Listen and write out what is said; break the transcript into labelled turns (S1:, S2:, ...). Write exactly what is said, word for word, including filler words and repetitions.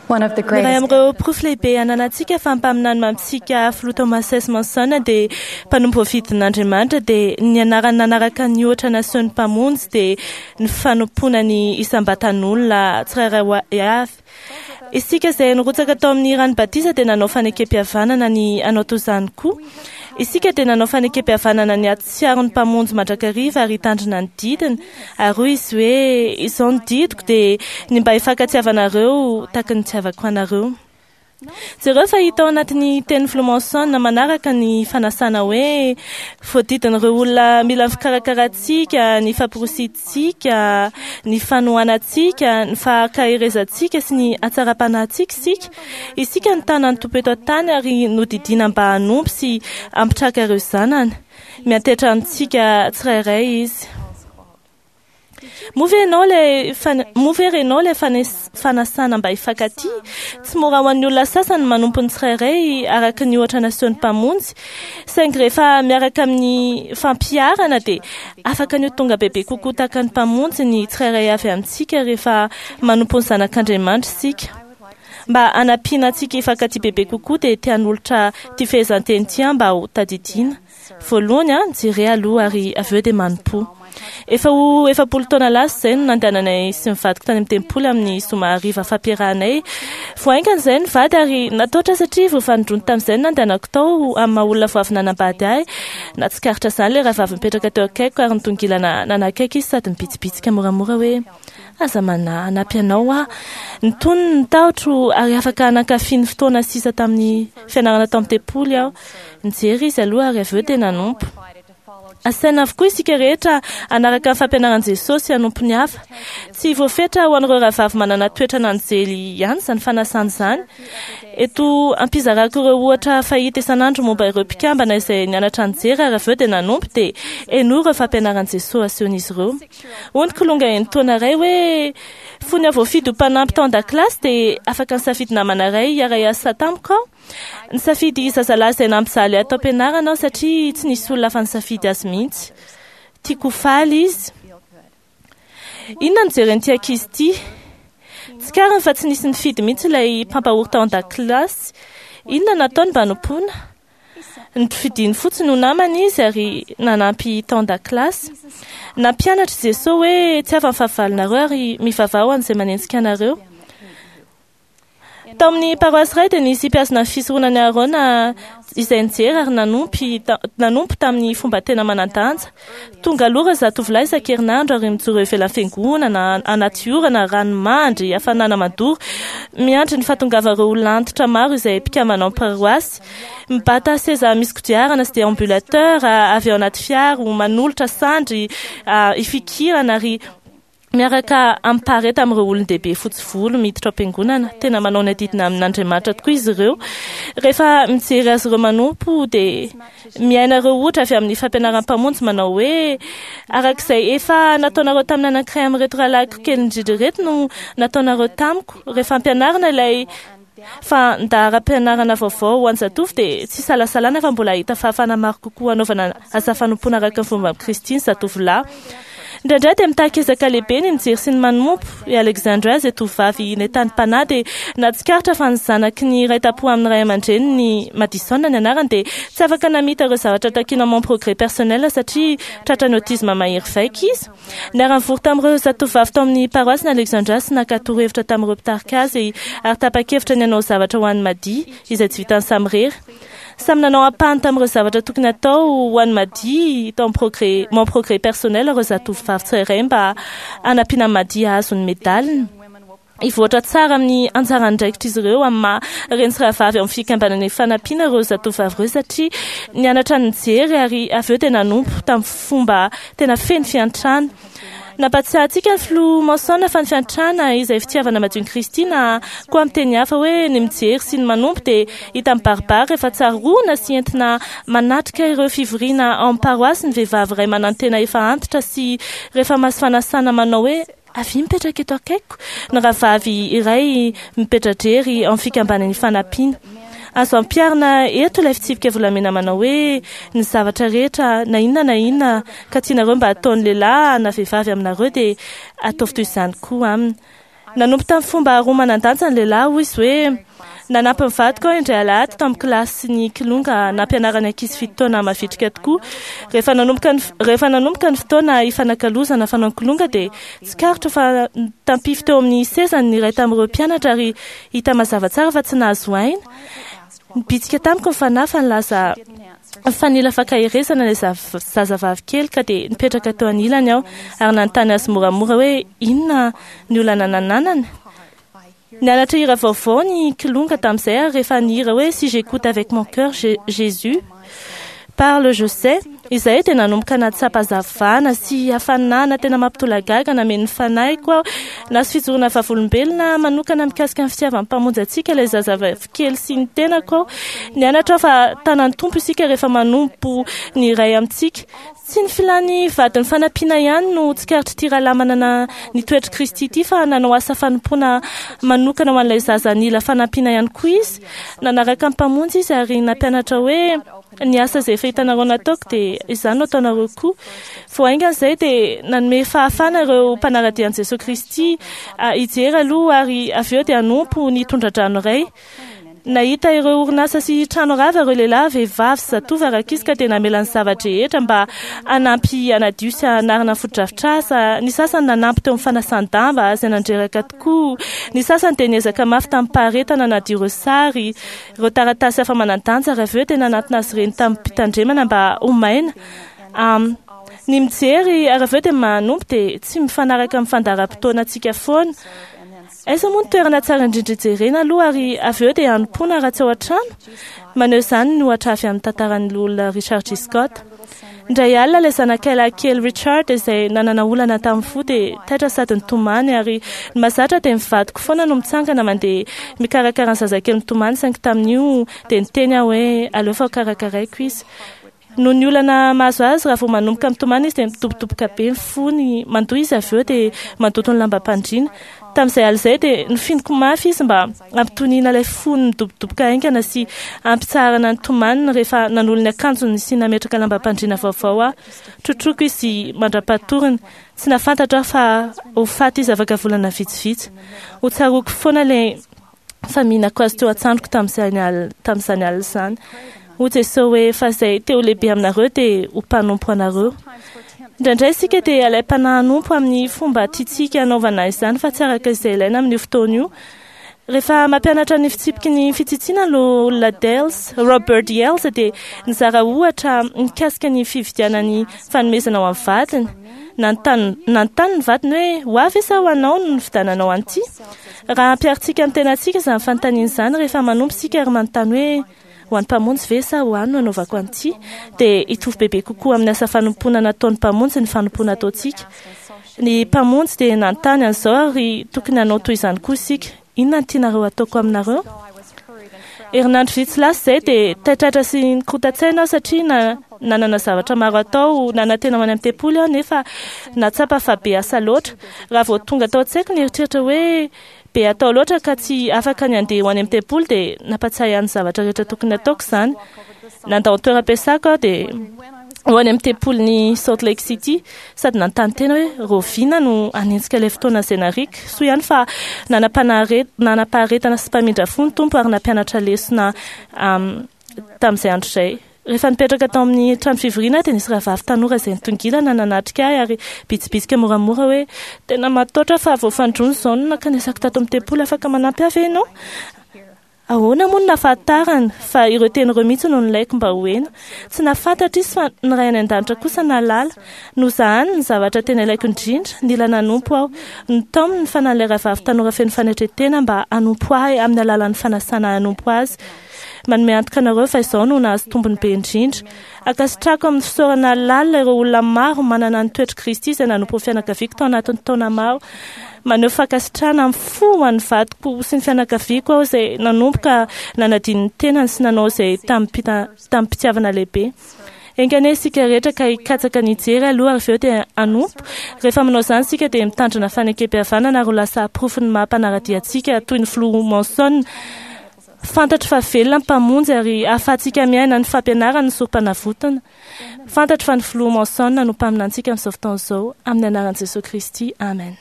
S1: One of the
S2: Ny iray
S1: greatest
S2: amin'ireo porofo lehibe ananantsika fa mpaminany mamintsika filoha Thomas S. Monson dia mpanompo voafidin'Andriamanitra dia ny anarany nanaraka ny ohatra nasehon'ny mpamonjy dia ny fanompoana ny isam-batan'olona tsirairay avy. Isika izay nirotsaka tao amin'ny rano batisa dia nanao fanekem-pihavanana ny hanao toy izany koa. Isika dia nanao fanekem-pihavanana ny hahatsiaro ny mpamonjy mandrakariva ary hitandrina ny didiny. Ary hoy izy hoe izao ny didiko dia ny mba hifankatiavanareo tahaka ny nitiavako anareo. Jereo fa hita ao anatin'ny tenin'ny filoha Monson manaraka ny fanasana hoe voadidin'ireo olona mila ny fikarakarantsika, ny famporisihantsika, ny fanohanantsika, ny fahakarezantsika sy ny hatsaram-panahintsika isika. Isika no tanan'ny Tompo eto an-tany ary nodidiana mba hanompo sy hampitraka ireo zanany. Miantehitra amintsika tsirairay izy. Moa ve ianao ilay fan- moa ve renao ilay fanes- fanasana mba hifankatia? Tsy mora ho an'ny olona sasany ny manompo ny tsirairay araka ny ohatra nasehon'ny mpamonjy. Saingy rehefa miaraka amin'ny fampiharana dia afaka ny ho tonga bebe kokoa tahaka ny mpamonjy ny tsirairay avy amintsika rehefa manompo ny zanak'Andriamanitra isika. Mba hanampiana antsika hifankatia bebe kokoa dia te hanolotra ity fehezanteny ity aho mba ho tadidiana. Voalohany a, jere aloha ary avy eo dia manompo. Efa ho efapolo taona lasa izay no nandehananay sy ny vadiko tany amin'ny tempoly amin'ny zoma hariva fampiarahanay. Vao haingana izay ny vady ary natahotra satria vao fanindroany tamin'izay no nandehanako tao amin'ny maha olona vao avy nanambady ahy. Nahatsikaritra izany ilay rahavavy mipetraka teo akaikiko ary nitongilana nanakaiky izy sady nibitsibitsika moramora hoe aza manahy, hanampy anao aho. Nitony ny tahotro ary afaka nankafy ny fotoana sisa tamin'ny fianarana tao amin'ny tempoly aho. Nijery izy aloha ary avy eo dia nanompo. Asaina avokoa isika rehetra hanaraka ny fampianaran'i Jesosy hanompo ny hafa. Tsy voafetra ho an'ireo rahavavy manana toetra n'anjely ihany izany fanasana izany. Eto ampizarako ireo ohatra fahita isan'andro momba ireo mpikambana izay nianatra nijery ary avy eo dia nanompo dia henoy ireo fampianaran'i Jesosy asehon'izy ireo. Hoy ny kilonga enin-taona iray hoe fony aho voafidy ho mpanampy tao an-dakilasy dia afaka nisafidy namana iray hiara-hiasa tamiko aho. Nisafidy zazalahy izay nampijaly ahy tao am-pianarana aho satria tsy nisy olona hafa nisafidy azy mihitsy. Tiako ho faly izy. Inona no jeren'ity ankizy ity? Tsikariny fa tsy nisy nifidy mihitsy ilay mpampahory tao an-dakilasy. Inona no nataony mba hanompoana? Nofidiny fotsiny ho namana izy ary nanampy tao an-dakilasy. Nampianatra i Jesosy hoe tiava ny fahavalonareo ary mivavaha ho an'izay manenjika anareo. Tao amin'ny paroasy iray dia nisy mpihazona ny fisoronan'i Aarona izay nijery ary nanompo nanompo tamin'ny fomba tena manan-danja. Tonga aloha ireo zatovolahy isan-kerinandro ary mijoro eo ivelan'ny fiangonana, anaty orana, ranomandry, hafanana mandoro, miandry ny fahatongavan'ireo olona antitra maro izay mpikambana ao amin'ny paroasy. Mibata seza misy kodiarana sy déambulateur avy ao anaty fiara, manolotra sandry hifikirana ary miaraka amin'ny amin'ireo olon-dehibe fotsy volo miditra ao am-piangonana. Tena manao ny adidina amin'Andriamanitra tokoa izy ireo. Rehefa mijery azy ireo manompo dia miaina ireo ohatra avy amin'ny fampianaran'ny mpamonjy manao hoe arak'izay efa nataonareo tamin'ny anankiray amin'ireto rahalahiko kely indrindra ireto no nataonareo tamiko. Rehefa ampianarina ilay fandaharam-pianarana vaovao ho an'ny zatovo dia tsy isalasalana fa mbola hahita fahafahana maro kokoa hanaovana asa fanompoana araka ny fomba amin'i Kristy ny zatovolahy. Indraindray dia mitaky ezaka lehibe ny mijery sy ny manompo. I Alexandra izay tovovavy nentanim-panahy dia nahatsikaritra fa ny zanaky ny iray tampo amin'ny ray aman-dreniny Madison ny anarany dia tsy afaka namita ireo zavatra takiana Mon Progrès Personnel satria tratran'ny autisme mahery vaika izy. Niara-nivory tamin'ireo zatovovavy tao amin'ny paroasy ny Alexandra sy naka torohevitra tamin'ireo mpitarika azy ary tapa-kevitra ny hanao zavatra ho an'i Madi izay tsy vitany samirery. Samy nanao ampahany tamin'ireo zavatra tokony hatao ho an'i Madi tao amin'ny progrès, Mon Progrès Personnel ireo zatovovavy tsirairay mba hanampiana an'i Madi hahazo ny medaliny. Hivoatra tsara amin'ny anjara andraikitr'izy ireo amin'ny maha reny sy rahavavy ao amin'ny fikambanana ifanampiana ireo zatovovavy ireo satria nianatra nijery ary avy eo dia nanompo tamin'ny fomba tena feno fiantrana. Nampatsiahy antsika ny filoha Monson fa ny fiantrana izay fitiavana madion'i Kristy na koa amin'ny teny hafa hoe ny mijery sy ny manompo dia hita mibaribary rehefa tsaroana sy entina manatrika ireo fivoriana ao amin'ny paroasy ny vehivavy iray manantena efa antitra sy rehefa mahazo fanasana manao hoe avia mipetraka eto akaikiko ny rahavavy iray mipetra-drery ao amin'ny fikambanana ifanampiana. Azo ampiharina eto ilay fitsipika volamena manao hoe ny zavatra rehetra na inona na inona ka tianareo mba hataon'ny lehilahy na vehivavy aminareo dia ataovy toy izany koa aminy. Nanompo tamin'ny fomba roa manan-danja ny lehilahy, hoy izy hoe nanampy ny vadiko aho indray alahady tamin'ny kilasin'ny kilonga nampianarana ankizy fito taona mavitrika tokoa. Rehefa nanomboka ny rehefa nanomboka ny fotoana ifanakalozana fanao ny kilonga dia tsikaritra fa tampify teo amin'ny sezany ny iray tamin'ireo mpianatra ary hita mazava tsara fa tsy nahazo aina. Nibitsika tamiko ny fanahy fa nilaza fa nila fankaherezana ilay zazavavy kely ka dia nipetraka teo anilany aho ary nanontany azy moramora hoe inona ny olana nananany. Nianatra hira vaovao ny kilonga tamin'izay ary rehefa nihira hoe si j'écoute avec mon cœur Jésus parle je sais izay dia nanomboka nahatsapa hazavana sy hafanana tena mampitolagaga nameno ny fanahiko aho. Nahazo fijoroana vavolombelona manokana mikasika ny fitiavan'ny mpamonjy antsika ilay zazavavy kely sy ny tenako aho. Nianatra aho fa tanan'ny Tompo isika rehefa manompo ny iray amintsika. Tsy ny filàny vadin'ny fanampiana ihany no tsikaritr'ity rahalahy manana ny toetr'i Kristy ity fa nanao asa fanompoana manokana ho an'ilay zaza nila fanampiana ihany koa izy. Nanaraka ny mpamonjy izy ary nampianatra hoe ny asa izay efa hitanareo nataoko dia izany no ataonareo koa. Vao haingana izay dia nanome fahafahana ireo mpanara-dia an'i Jesosy Kristy hijery aloha ary avy eo dia hanompo ny tondra-drano iray. Nahita ireo orinasa sy trano rava ireo lehilahy, vehivavy sy zatovo ary ankizy ka dia namela ny zava-drehetra mba hanampy hanadio sy hanarina ny fotodrafitrasa. Ny sasany nanampy teo amin'ny fanasan-damba izay nandreraka tokoa. Ny sasany dia niezaka mafy tamim-paharetana hanadio ireo sary, ireo taratasy hafa manan-danja ary avy eo dia nanatona azy ireny tamim-pitandremana mba ho maina. Ny mijery ary avy eo dia manompo dia tsy mifanaraka amin'ny fandaharam-potoanantsika foana. Aiza moa ny toerana tsara indrindra hijerena aloha ary avy eo dia hanompoana raha tsy ao an-trano? Maneho izany ny ohatra avy amin'ny tantaran'ny loholona Richard G. Scott. Indray alina ilay zanakay lahy kely Richard izay nanana olana tamin'ny fo dia taitra sady nitomany ary ny mahazatra dia ny vadiko foana no mitsangana mandeha mikarakara ny zazakely mitomany saingy tamin'io dia niteny aho hoe aleo fa hokarakaraiko izy. Noho ny olana mahazo azy, raha vao manomboka mitomany izy dia midobodoboka be ny fony, mandoa izy avy eo dia mandoto ny lambam-pandriana. Tamin'izay alina izay dia nofiniko mafy izy mba hampitoniana ilay fony midobodoboka haingana sy hampitsaharana ny tomaniny rehefa nanolo ny akanjony sy nametraka lambam-pandriana vaovao aho. Trotroiko izy mandra-patoriny. Tsy nahafantatra aho fa ho faty izy afaka volana vitsivitsy. Ho tsaroako foana ilay faminako azy teo an-tsandriko tamin'izany alina izany. Hoy Jesosy hoe fa izay te ho lehibe aminareo dia ho mpanompo anareo. Indraindray isika dia alaim-panahy hanompo amin'ny fomba tiantsika hanaovana izany fa tsy araka izay ilaina amin'io fotoana io. Rehefa mampianatra ny fitsipiky ny fitsitsiana loholona Dales, Robert Yales dia nizara ohatra mikasika ny fividianany fanomezana ho an'ny vadiny. Nanontany nanontany ny vadiny hoe ho avy sa ho anao no nividiananao an'ity? Raha ampiharintsika amin'ny tenantsika izany fanontaniana izany rehefa manompo isika ary manontany hoe ho an'ny mpamonjy ve sa ho ahy no anaovako an'ity dia hitovy bebe kokoa amin'ny asa fanompoana nataon'ny mpamonjy ny fanompoana ataontsika. Ny mpamonjy dia nanontany an'izao ary tokony hanao toy izany koa isika. Inona no tianareo hataoko aminareo? Herinandro vitsy lasa izay dia taitraitra sy nikorontan-tsaina aho satria na nanana zavatra maro atao, nanantena ho any amin'ny tempoly aho nefa nahatsapa fa be asa loatra. Raha vao tonga tao an-tsaiko ny eritreritra hoe be atao loatra ka tsy afaka ny handeha ho any amin'ny tempoly dia nampatsiahy ahy ny zavatra rehetra tokony hataoko izany. Nandao ny toeram-piasako aho dia ho any amin'ny tempolin'i Salt Lake City sady nanontany tena hoe rahoviana no hanenjika ilay fotoana izay nariako. Soa ihany fa nanam-paharetana sy mpamindra fo ny Tompo ary nampianatra lesona tamin'izay andro izay. Rehefa nipetraka tao amin'ny trano fivoriana aho dia nisy rahavavy tanora izay nitongilana nanatrika ahy ary bitsibitsika moramora hoe tena matahotra fa vao fanindroany izao no nankanesako tato amin'ny tempoly, afaka manampy ahy ve ianao? Ahoana moa no nahafantarany fa ireo teny ireo mihitsy no nilaiko mba ho heno? Tsy nahafantatra izy fa ny Ray any An-danitra kosa nahalala. Nozahany ny zavatra tena ilaiko indrindra, nila nanompo aho. Nitaominy ny fanahin'ilay rahavavy tanora feno fanetren-tena mba hanompo ahy amin'ny alalan'ny fanasana ahy hanompo azy. Manome antoka anareo fa izao no nahazo tombony be indrindra. Ankasitrahako amin'ny fisaorana lalina ireo olona maro manana ny toetr'i Kristy izay nanompo ny fianakaviako tao anatin'ny taona maro. Maneho fankasitrahana amin'ny fo ho an'ny vadiko sy ny fianakaviako aho izay nanomboka nanadino ny tenany sy nanao izay tamim-pitiavana lehibe. Enga anie isika rehetra ka hikatsaka ny hijery aloha ary avy eo dia hanompo. Rehefa manao izany isika dia mitandrina fanekem-pihavanana ary ho lasa porofon'ny maha mpanara-dia antsika toy ny filoha Monson. Fantatro fa velona ny Mpamonjy ary ahafahantsika miaina ny fampianarany ny Sorompanavotana. Fantatro fa ny filoha Monson no mpaminantsika amin'izao fotoana izao, amin'ny anaran'i Jesoa Kristy, amen.